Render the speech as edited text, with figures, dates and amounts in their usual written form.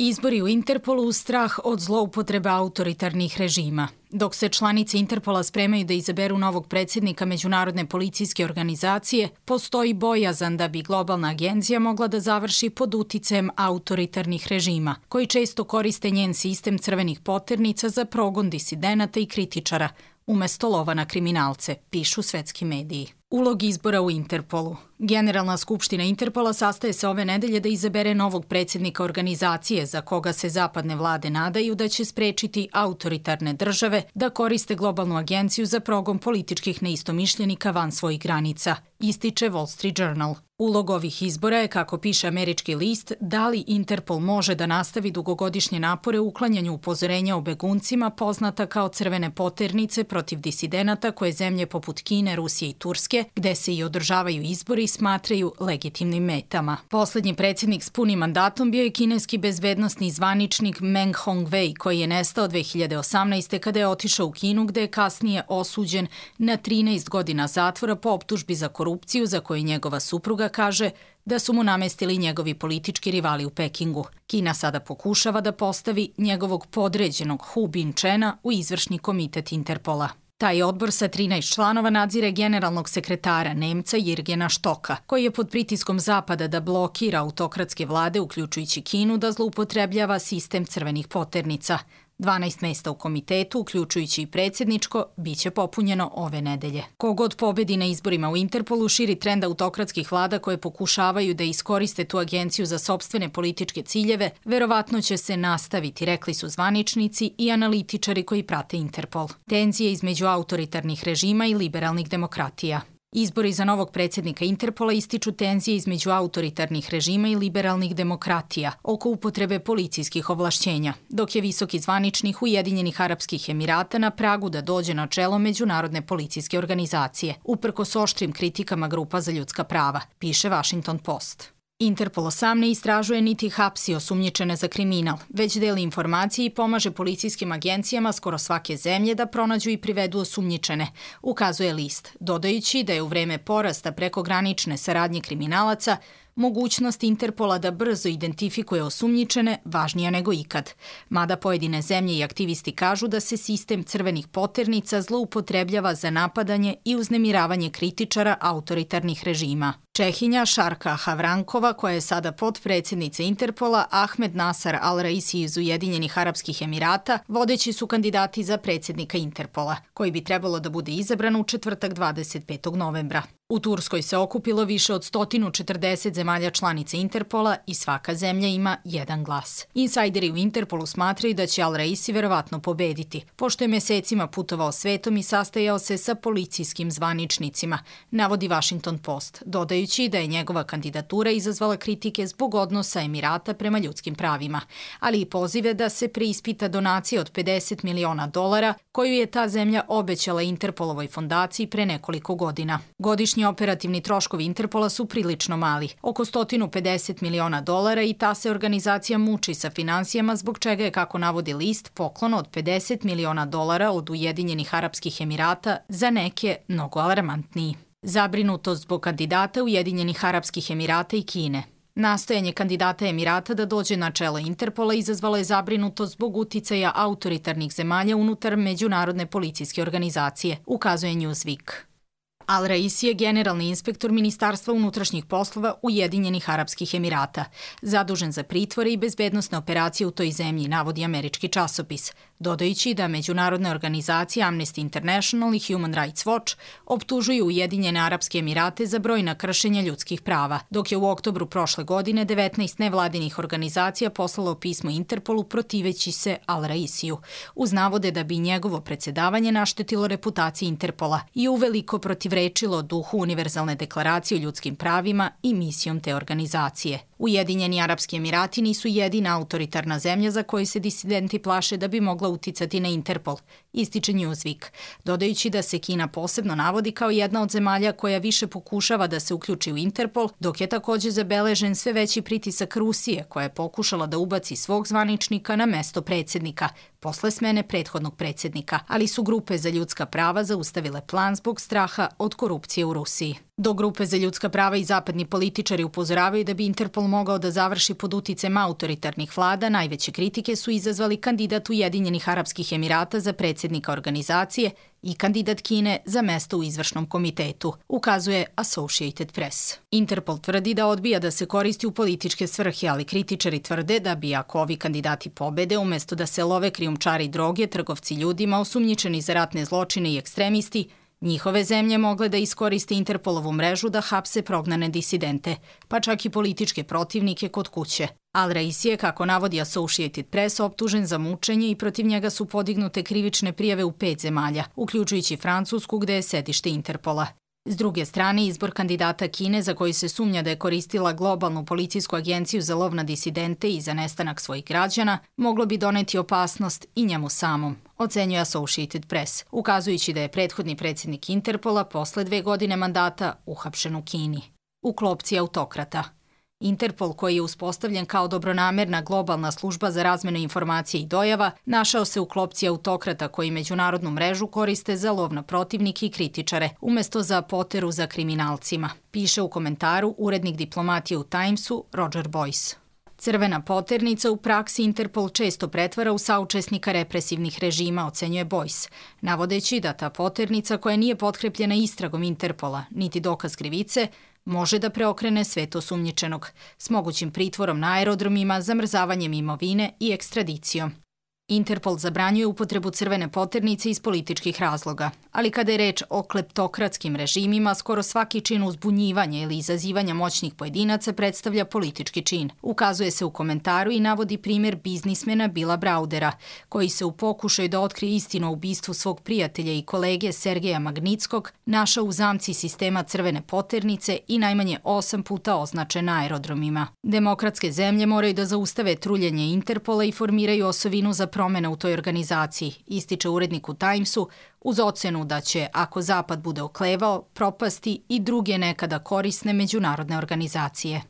Izbori u Interpolu uz strah od zloupotreba autoritarnih režima. Dok se članice Interpola spremaju da izaberu novog predsjednika Međunarodne policijske organizacije, postoji bojazan da bi globalna agencija mogla da završi pod uticajem autoritarnih režima, koji često koriste njen sistem crvenih poternica za progon disidenata i kritičara, umesto lova na kriminalce, pišu svetski mediji. Ulog izbora u Interpolu. Generalna skupština Interpola sastaje se ove nedelje da izabere novog predsjednika organizacije za koga se zapadne vlade nadaju da će sprečiti autoritarne države da koriste globalnu agenciju za progon političkih neistomišljenika van svojih granica, ističe Wall Street Journal. Ulog ovih izbora je, kako piše američki list, da li Interpol može da nastavi dugogodišnje napore u uklanjanju upozorenja o beguncima poznata kao crvene poternice protiv disidenata koje zemlje poput Kine, Rusije i Turske, gde se i održavaju izbori, smatraju legitimnim metama. Poslednji predsjednik s punim mandatom bio je kineski bezbednosni zvaničnik Meng Hongwei, koji je nestao 2018. kada je otišao u Kinu, gde je kasnije osuđen na 13 godina zatvora po optužbi za korupciju za koju njegova supruga kaže da su mu namestili njegovi politički rivali u Pekingu. Kina sada pokušava da postavi njegovog podređenog Hu Binchena u izvršni komitet Interpola. Taj odbor sa 13 članova nadzire generalnog sekretara Nemca Jirgena Štoka, koji je pod pritiskom Zapada da blokira autokratske vlade, uključujući Kinu, da zloupotrebljava sistem crvenih poternica. 12 mesta u komitetu, uključujući i predsjedničko, biće popunjeno ove nedelje. Kogod pobedi na izborima u Interpolu širi trend autokratskih vlada koje pokušavaju da iskoriste tu agenciju za sopstvene političke ciljeve, verovatno će se nastaviti, rekli su zvaničnici i analitičari koji prate Interpol. Tenzije između autoritarnih režima i liberalnih demokratija. Izbori za novog predsjednika Interpola ističu tenzije između autoritarnih režima i liberalnih demokratija oko upotrebe policijskih ovlašćenja, dok je visoki zvaničnik Ujedinjenih Arapskih Emirata na pragu da dođe na čelo Međunarodne policijske organizacije, uprkos oštrim kritikama grupa za ljudska prava, piše Washington Post. Interpol sam ne istražuje niti hapsi osumnjičene za kriminal, već deli informacije i pomaže policijskim agencijama skoro svake zemlje da pronađu i privedu osumnjičene, ukazuje list, dodajući da je u vreme porasta prekogranične saradnje kriminalaca mogućnost Interpola da brzo identifikuje osumnjičene važnija nego ikad. Mada pojedine zemlje i aktivisti kažu da se sistem crvenih poternica zloupotrebljava za napadanje i uznemiravanje kritičara autoritarnih režima. Čehinja Šarka Havrankova, koja je sada potpredsjednica Interpola, Ahmed Nasar Al-Raisi iz Ujedinjenih Arapskih Emirata, vodeći su kandidati za predsjednika Interpola, koji bi trebalo da bude izabran u četvrtak 25. novembra. U Turskoj se okupilo više od 140 zemalja članica Interpola i svaka zemlja ima jedan glas. Insajderi u Interpolu smatraju da će Al-Raisi verovatno pobediti, pošto je mesecima putovao svetom i sastajao se sa policijskim zvaničnicima, navodi Washington Post, dodajući da je njegova kandidatura izazvala kritike zbog odnosa Emirata prema ljudskim pravima, ali i pozive da se preispita donacija od $50 miliona koju je ta zemlja obećala Interpolovoj fondaciji pre nekoliko godina. Godišnji operativni troškovi Interpola su prilično mali, oko $150 miliona i ta se organizacija muči sa finansijama, zbog čega je, kako navodi list, poklon od $50 miliona od Ujedinjenih Arapskih Emirata za neke mnogo alarmantniji. Zabrinutost zbog kandidata Ujedinjenih Arapskih Emirata i Kine. Nastojanje kandidata Emirata da dođe na čelo Interpola izazvalo je zabrinutost zbog uticaja autoritarnih zemalja unutar Međunarodne policijske organizacije, ukazuje Newsweek. Al-Raisi je generalni inspektor Ministarstva unutrašnjih poslova Ujedinjenih Arapskih Emirata, zadužen za pritvore i bezbednosne operacije u toj zemlji, navodi američki časopis, dodajući da međunarodne organizacije Amnesty International i Human Rights Watch optužuju Ujedinjene Arapske Emirate za brojna kršenja ljudskih prava, dok je u oktobru prošle godine 19 nevladinih organizacija poslalo pismo Interpolu protiveći se Al-Raisiju, uz navode da bi njegovo predsjedavanje naštetilo reputaciji Interpola i uveliko protivrečilo duhu Univerzalne deklaracije o ljudskim pravima i misijom te organizacije. Ujedinjeni Arapski Emirati nisu jedina autoritarna zemlja za koju se disidenti plaše da bi mogla uticati na Interpol, ističe Newsweek, dodajući da se Kina posebno navodi kao jedna od zemalja koja više pokušava da se uključi u Interpol, dok je također zabeležen sve veći pritisak Rusije, koja je pokušala da ubaci svog zvaničnika na mesto predsjednika, posle smene prethodnog predsjednika, ali su grupe za ljudska prava zaustavile plan zbog straha od korupcije u Rusiji. Do grupe za ljudska prava i zapadni političari upozoravaju da bi Interpol mogao da završi pod uticajem autoritarnih vlada, najveće kritike su izazvali kandidat Ujedinjenih Arapskih Emirata za predsjednika organizacije i kandidat Kine za mesto u izvršnom komitetu, ukazuje Associated Press. Interpol tvrdi da odbija da se koristi u političke svrhe, ali kritičari tvrde da bi, ako ovi kandidati pobede, umesto da se love krijumčari droge, trgovci ljudima, osumnjičeni za ratne zločine i ekstremisti, njihove zemlje mogle da iskoriste Interpolovu mrežu da hapse prognane disidente, pa čak i političke protivnike kod kuće. Al-Raisi je, kako navodi Associated Press, optužen za mučenje i protiv njega su podignute krivične prijave u 5 zemalja, uključujući Francusku gde je sedište Interpola. S druge strane, izbor kandidata Kine, za koji se sumnja da je koristila globalnu policijsku agenciju za lov na disidente i za nestanak svojih građana, moglo bi doneti opasnost i njemu samom, ocenjuje Associated Press, ukazujući da je prethodni predsjednik Interpola posle 2 godine mandata uhapšen u Kini. U klopci autokrata. Interpol, koji je uspostavljen kao dobronamerna globalna služba za razmenu informacija i dojava, našao se u klopci autokrata koji međunarodnu mrežu koriste za lov na protivnike i kritičare, umesto za poteru za kriminalcima, piše u komentaru urednik diplomatije u Timesu Roger Boyce. Crvena poternica u praksi Interpol često pretvara u saučesnika represivnih režima, ocenjuje Boyce, navodeći da ta poternica koja nije potkrepljena istragom Interpola, niti dokaz krivice, može da preokrene svet osumnjičenog, s mogućim pritvorom na aerodromima, zamrzavanjem imovine i ekstradicijom. Interpol zabranjuje upotrebu crvene poternice iz političkih razloga, ali kada je reč o kleptokratskim režimima, skoro svaki čin uzbunjivanja ili izazivanja moćnih pojedinaca predstavlja politički čin. Ukazuje se u komentaru i navodi primjer biznismena Billa Browdera, koji se u pokušaju da otkrije istinu o ubistvu svog prijatelja i kolege Sergeja Magnitskog našao u zamci sistema crvene poternice i najmanje 8 puta označen na aerodromima. Demokratske zemlje moraju da zaustave truljenje Interpola i formiraju osovinu za promene u toj organizaciji, ističe urednik u Timesu, uz ocenu da će, ako Zapad bude oklevao, propasti i druge nekada korisne međunarodne organizacije.